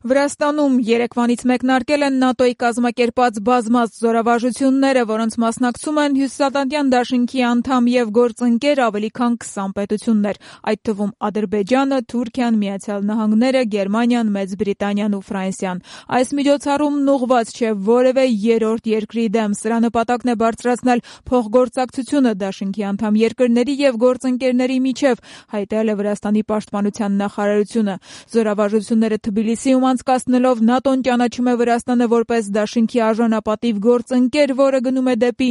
Վրաստանում երեկվանից մեկնարկել են ՆԱՏՕ-ի կազմակերպած բազմաց զորավարժությունները, որոնց մասնակցում են Հյուսիսատլանտյան դաշինքի անդամ և գործընկեր ավելի քան 20 պետություններ, այդ թվում Ադրբեջանը, Թուրքիան, Միացյալ Նահանգները, Գերմանիան, Մեծ Բրիտանիան ու Ֆրանսիան։ Այս միջոցառումն ուղղված չէ որևէ երրորդ երկրի դեմ, սրա նպատակն է բարձրացնել փոխգործակցությունը դաշինքի անդամ երկրների և գործընկերների միջև, հայտարարել է Վրաստանի պաշտպանության նախարարությունը։ Զորավարժությունները Թբիլիսիում անցկացնելով ՆԱՏՕ-ն ճանաչում է Վրաստանը որպես դաշինքի արժանապատիվ գործընկեր, որը գնում է դեպի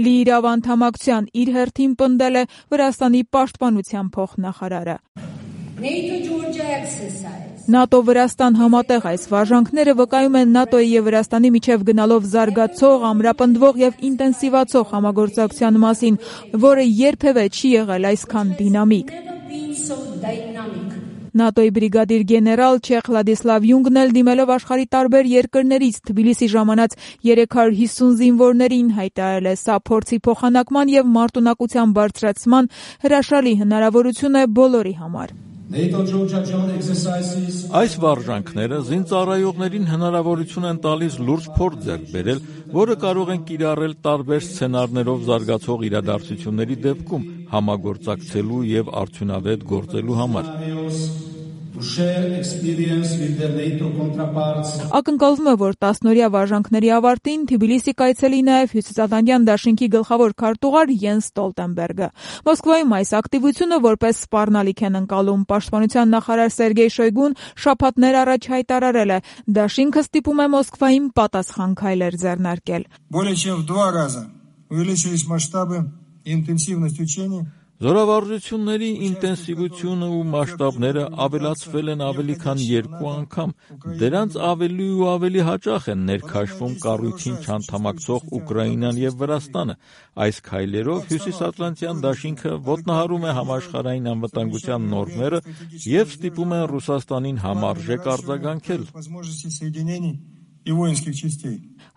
լիիրավ անդամակցության, իր հերթին պնդել է Վրաստանի պաշտպանության փոխնախարարը։ ՆԱՏՕ-Վրաստան համատեղ այս վարժանքները վկայում են ՆԱՏՕ-ի և Վրաստանի միջև գնալով զարգացող, ամրապնդվող և ինտենսիվացող համագործակցության մասին, որը երբևէ չի եղել այսքան դինամիկ։ ՆԱՏՕ-ի բրիգադիր գեներալ Չեխ Վլադիսլավ Յունգն էլ դիմելով աշխարհի տարբեր երկրներից Թբիլիսի ժամանած 350 զինվորներին հայտարարել է, սա փորձի փոխանակման և մարտունակության բարձրացման հրաշալի հնարավորություն է բոլորի համար։ Այս վարժանքները զինծառայողներին հնարավորություն են տալիս լուրջ փորձ ձեռք բերել, որը կարող են կիրառել տարբեր սցենարներով զարգացող իրադարձությունների դեպքում համագործակցելու և արդյունավետ գործելու համար։ Ակնկալվում է, որ 10-օրյա վարժանքների ավարտին Թբիլիսի կայցելի նաև Հյուսիսատլանտյան դաշինքի գլխավոր քարտուղար Յենս Ստոլտենբերգը։ Մոսկվայում այս ակտիվությունը որպես սպառնալիք են ընկալում։ Պաշտպանության նախարար Սերգեյ Շոյգուն շաբաթներ առաջ հայտարարել է, դաշինքը ստիպում է Մոսկվային պատասխան քայլեր ձեռնարկել։ Զորավարժությունների ինտենսիվությունը ու մասշտաբները ավելացվել են ավելի քան 2 անգամ։ Դրանց ավելի ու ավելի հաճախ են ներքաշվում կառույցին չանդամակցող Ուկրաինան և Վրաստանը։ Այս քայլերով Հյուսիսատլանտյան դաշինքը ոտնահարում է համաշխարհային անվտանգության նորմերը և ստիպում է Ռուսաստանին համարժեք արձագանքել։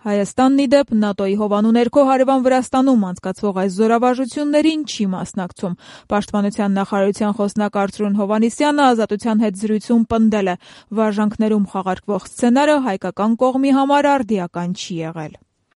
Հայաստանն ի դեպ ՆԱՏՕ-ի հովանու ներքո հարևան Վրաստանում անցկացվող այս զորավարժություններին չի մասնակցում։ Պաշտպանության նախարարության խոսնակ Արծրուն Հովհաննիսյանը Ազատության հետ զրույցում պնդել է, վարժանքներում խաղարկվող սցենարը հայկական կողմի համար արդիական չի եղել։